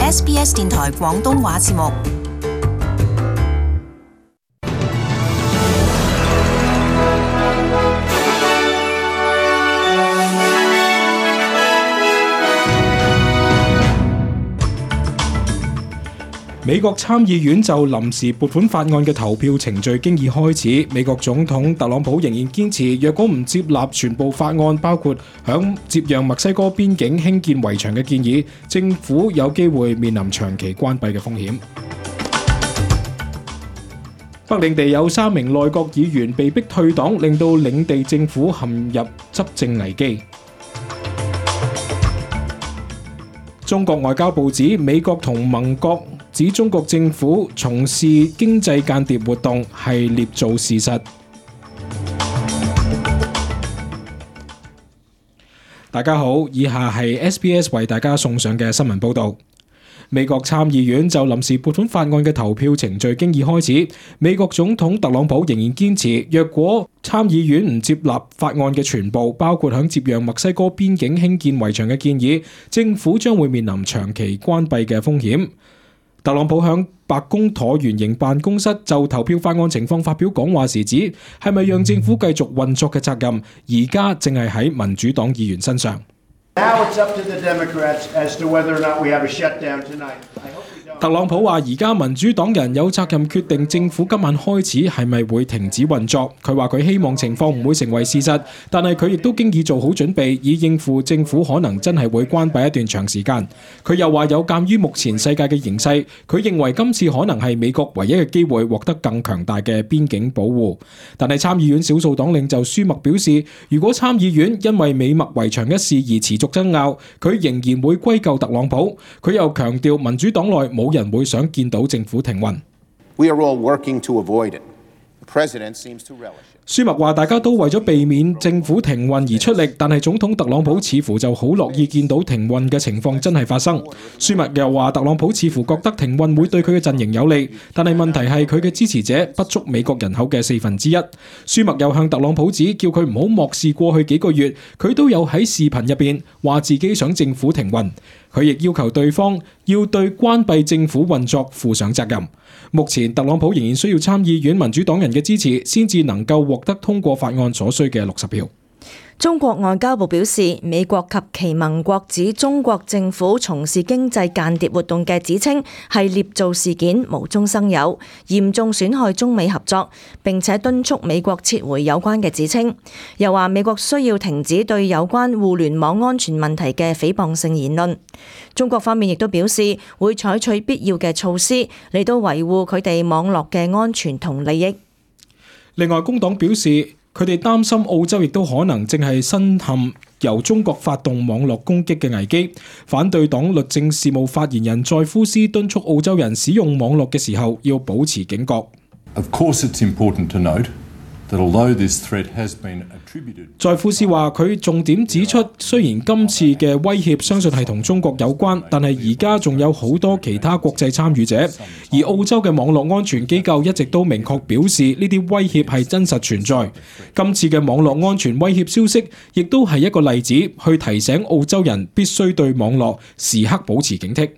SBS 電台廣東話節目。美國參議院就臨時撥款法案嘅投票程序經已開始。美國總統特朗普仍然堅持，若果唔接納全部法案，包括響接壤墨西哥邊境興建圍牆嘅建議，政府有機會面臨長期關閉嘅風險。北領地有3名內閣議員被逼退黨，令到領地政府陷入執政危機。中國外交部指，美國同盟國指中國政府從事經濟間諜活動係捏造事實。大家好，以下係 SBS 為大家送上嘅新聞報導。美國參議院就臨時撥款法案嘅投票程序經已開始。美國總統特朗普仍然堅持，若果參議院唔接納法案嘅全部，包括響接壤墨西哥邊境興建圍牆嘅建議，政府將會面臨長期關閉嘅風險。特朗普響白宮橢圓形辦公室就投票法案情況發表講話時指，係咪讓政府繼續運作嘅責任，而家正係喺民主黨議員身上。特朗普話：而家民主黨人有責任決定政府今晚開始係咪會停止運作。佢話佢希望情況唔會成為事實，但係佢亦都經已做好準備，以應付政府可能真係會關閉一段長時間。佢又話有鑑於目前世界嘅形勢，佢認為今次可能係美國唯一嘅機會獲得更強大嘅邊境保護。但係參議院少數黨領袖舒默表示，如果參議院因為美墨圍牆一事而持續爭拗，佢仍然會歸咎特朗普。佢又強調民主黨內冇人會想見到政府停運。舒默話：大家都為咗避免政府停運而出力，但係總統特朗普似乎就好樂意見到停運嘅情況真係發生。舒默又話：特朗普似乎覺得停運會對佢嘅陣營有利，但係問題係佢嘅支持者不足美國人口嘅1/4。舒默又向特朗普指，叫佢唔好漠視過去幾個月，佢都有喺視頻入邊話自己想政府停運。佢亦要求對方要對關閉政府運作負上責任。目前特朗普仍然需要參議院民主黨人嘅支持，先至能夠獲得通過法案所需嘅60票。中國外交部表示，美國及其盟國指中國政府從事經濟間諜活動嘅指稱係捏造事件，無中生有，嚴重損害中美合作，並且敦促美國撤回有關嘅指稱。又話美國需要停止對有關互聯網安全問題嘅誹謗性言論。中國方面亦都表示會採取必要嘅措施嚟到維護佢哋網絡嘅安全同利益。另外，工黨表示，佢哋擔心澳洲亦都可能正係身陷由中國發動網絡攻擊嘅危機。反對黨律政事務發言人在夫斯敦促澳洲人使用網絡嘅時候要保持警覺。在夫斯話，佢重點指出，雖然今次嘅威脅相信係同中國有關，但係而家仲有好多其他國際參與者，而澳洲嘅網絡安全機構一直都明確表示呢啲威脅係真實存在。今次嘅網絡安全威脅消息，亦都係一個例子，去提醒澳洲人必須對網絡時刻保持警惕。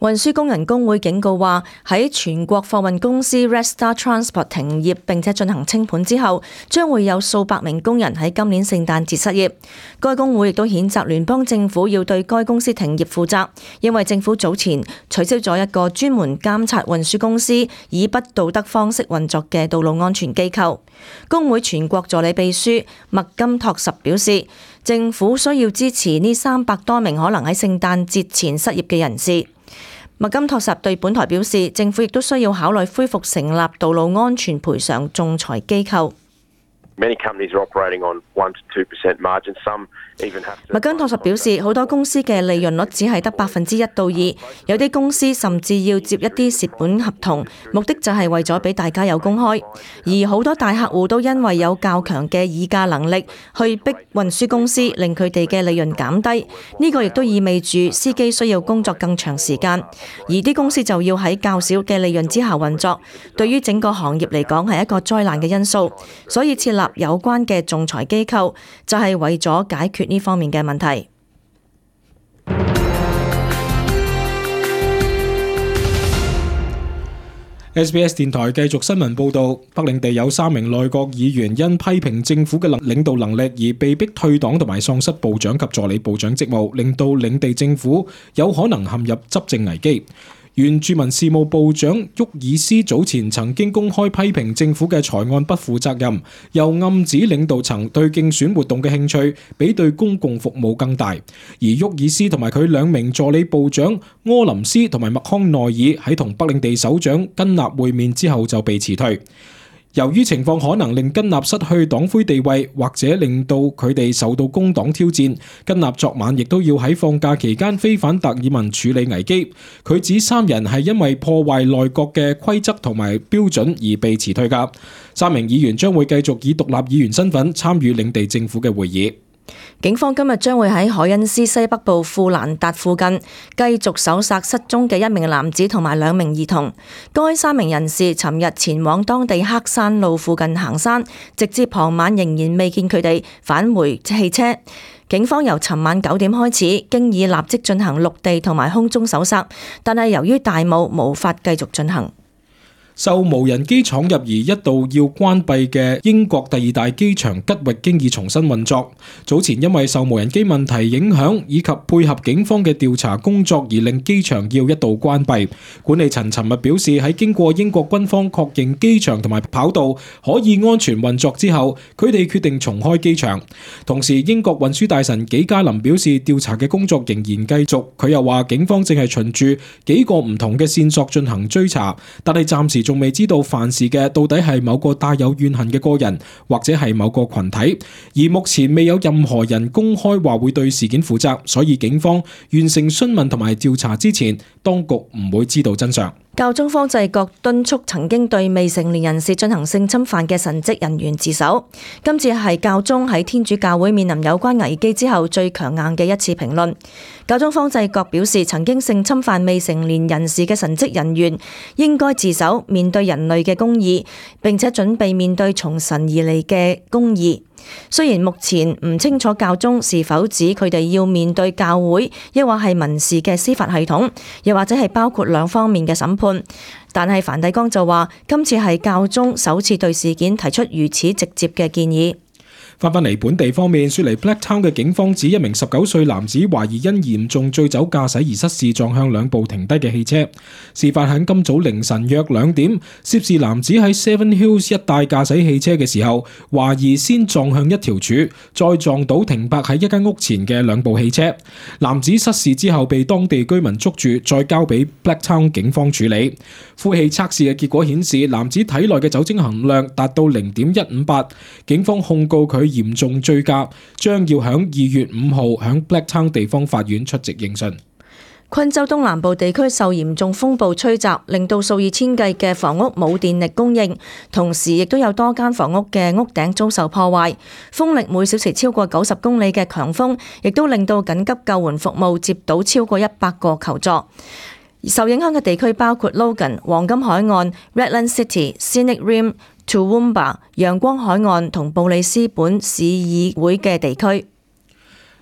運輸工人工會警告話，喺全國貨運公司 Red Star Transport 停業並且進行清盤之後，將會有數百名工人喺今年聖誕節失業。該工會亦都譴責聯邦政府要對該公司停業負責，因為政府早前取消咗一個專門監察運輸公司以不道德方式運作嘅道路安全機構。工會全國助理秘書麥金托什表示，政府需要支持呢300多名可能喺聖誕節前失業嘅人士。麥金托什對本台表示，政府亦都需要考慮恢復成立道路安全賠償仲裁機構。麥金托什表示，好多公司嘅利潤率只係得1%到2%，有啲公司甚至要接一啲蝕本合同，目的就係為咗俾大家有工開。而好多大客戶都因為有較強嘅議價能力，去逼運輸公司令佢哋嘅利潤減低。呢個亦都意味住司機需要工作更長時間，而啲公司就要喺較少嘅利潤之下運作。對於整個行業嚟講係一個災難嘅因素，所以設立有關嘅仲裁機構就係為咗解決呢方面嘅問題。SBS 電台繼續新聞報導，北領地有3名內閣議員因批評政府嘅領導能力而被迫退黨同埋喪失部長及助理部長職務，令到領地政府有可能陷入執政危機。原住民事務部長沃爾斯早前曾經公開批評政府嘅財案不負責任，又暗指領導層對競選活動嘅興趣比對公共服務更大。而沃爾斯同埋佢2名助理部長柯林斯同埋麥康奈爾喺同北領地首長根納會面之後就被辭退。由於情況可能令根納失去黨魁地位，或者令到佢哋受到工黨挑戰，根納昨晚亦都要喺放假期間飛返達爾文處理危機。佢指3人係因為破壞內閣嘅規則同埋標準而被辭退㗎。3名議員將會繼續以獨立議員身份參與領地政府嘅會議。警方今日將會喺凱恩斯西北部富蘭達附近繼續搜索失蹤嘅1名男子同埋2名兒童。該3名人士尋日前往當地黑山路附近行山，直至傍晚仍然未見佢哋返回汽車。警方由尋晚9點開始，經已立即進行陸地同埋空中搜索，但係由於大霧，無法繼續進行。受無人機闖入而一度要關閉嘅英國第2大機場吉域經已重新運作。早前因為受無人機問題影響以及配合警方嘅調查工作而令機場要一度關閉。管理層尋日表示，喺經過英國軍方確認機場同埋跑道可以安全運作之後，佢哋決定重開機場。同時，英國運輸大臣紀嘉林表示，調查嘅工作仍然繼續。佢又話警方正係循住幾個唔同嘅線索進行追查，但係暫時仲未知道犯事嘅到底係某個帶有怨恨嘅個人，或者係某個群體，而目前未有任何人公開話會對事件負責，所以警方完成詢問同埋調查之前，當局唔會知道真相。教宗方濟各敦促曾經對未成年人士進行性侵犯嘅神職人員自首。今次係教宗喺天主教會面臨有關危機之後最強硬嘅一次評論。教宗方濟各表示，曾經性侵犯未成年人士嘅神職人員應該自首，面對人類嘅公義，並且準備面對從神而嚟嘅公義。雖然目前唔清楚教宗是否指佢哋要面對教會，抑或係民事嘅司法系統，又或者係包括兩方面嘅審判，但係梵蒂岡就話今次係教宗首次對事件提出如此直接嘅建議。翻返嚟本地方面，雪梨 Blacktown 嘅警方指1名19歲男子懷疑因嚴重醉酒駕駛而失事，撞向2部停低嘅汽車。事發喺今早凌晨約2點，涉事男子喺 Seven Hills 一帶駕駛汽車嘅時候，懷疑先撞向一條柱，再撞到停泊喺一間屋前嘅2部汽車。男子失事之後被當地居民捉住，再交俾 Blacktown 警方處理。呼氣測試嘅結果顯示，男子體內嘅酒精含量達到 0.158， 警方控告佢嚴重醉駕，將要響2月5號響 Blacktown 地方法院出席應訊。昆州東南部地區受嚴重風暴吹襲，令到數以千計嘅房屋冇電力供應，同時亦都有多間房屋嘅屋頂遭受破壞。風力每小時超過90公里嘅強風，亦都令到緊急救援服務接到超過100個求助。受影響嘅地區包括 Logan、黃金海岸、Redland City、Scenic Rim、Toowoomba、陽光海岸同布里斯本市議會嘅地區。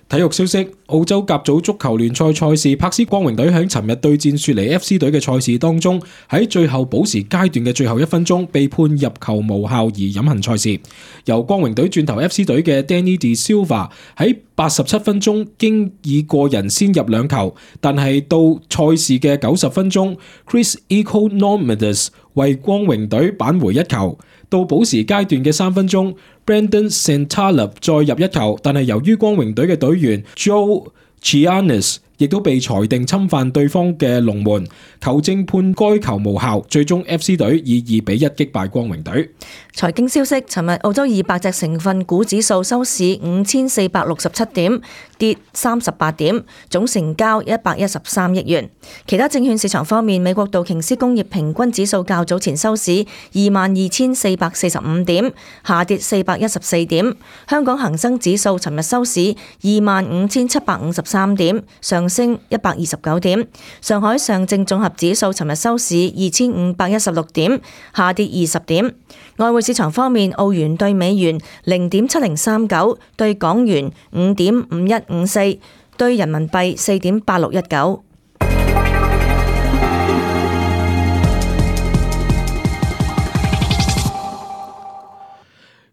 體育消息：澳洲甲組足球聯賽賽事，柏斯光榮隊喺尋日對戰雪梨 FC 隊嘅賽事當中，喺最後補時階段嘅最後1分鐘被判入球無效而飲恨賽事。由光榮隊轉投 FC 隊嘅 Danny De Silva 喺87分鐘經以個人先入2球，但係到賽事嘅90分鐘 ，Chris Economides 為光榮隊扳回1球。到補時階段嘅3分鐘 ，Brandon Santalab 再入1球，但係由於光榮隊嘅隊員 Joe Chianis 亦都被裁定侵犯對方嘅龍門，球證判該球無效，最終 FC 隊以2-1擊敗光榮隊。財經消息：尋日澳洲200隻成分股指數收市5467點，跌38點，總成交113億元。其他證券市場方面，美國道瓊斯工業平均指數較早前收市22,445點，下跌414點。香港恒生指數尋日收市25,753點，上升129點。上海上證綜合指數尋日收市2,516點，下跌20點。外匯市場方面，澳元對美元0.7039，對港元5.5154，對人民幣4.8619。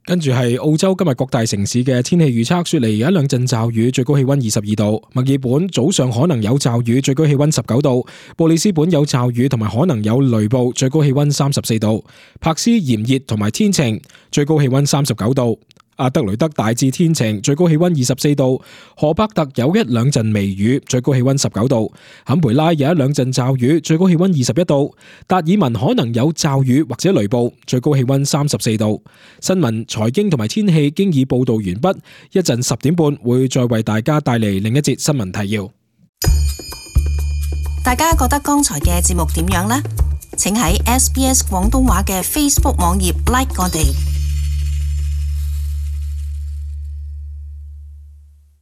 跟住係澳洲今日各大城市嘅天氣預測，雪梨有一兩陣驟雨，最高氣溫22度；墨爾本早上可能有驟雨，最高氣溫19度；布里斯本有驟雨同埋可能有雷暴，最高氣溫34度；柏斯炎熱同埋天晴，最高氣溫39度；阿德雷德大致天晴，最高氣溫24度；荷伯特有一兩陣微雨，最高氣溫19度；坎培拉有一兩陣驟雨，最高氣溫21度；達爾文可能有驟雨或者雷暴，最高氣溫34度。新聞、財經同埋天氣經已報道完畢，一陣10點半會再為大家帶嚟另一節新聞提要。大家覺得剛才嘅節目點樣呢？請喺SBS 廣東話嘅 Facebook 網頁 like 我哋。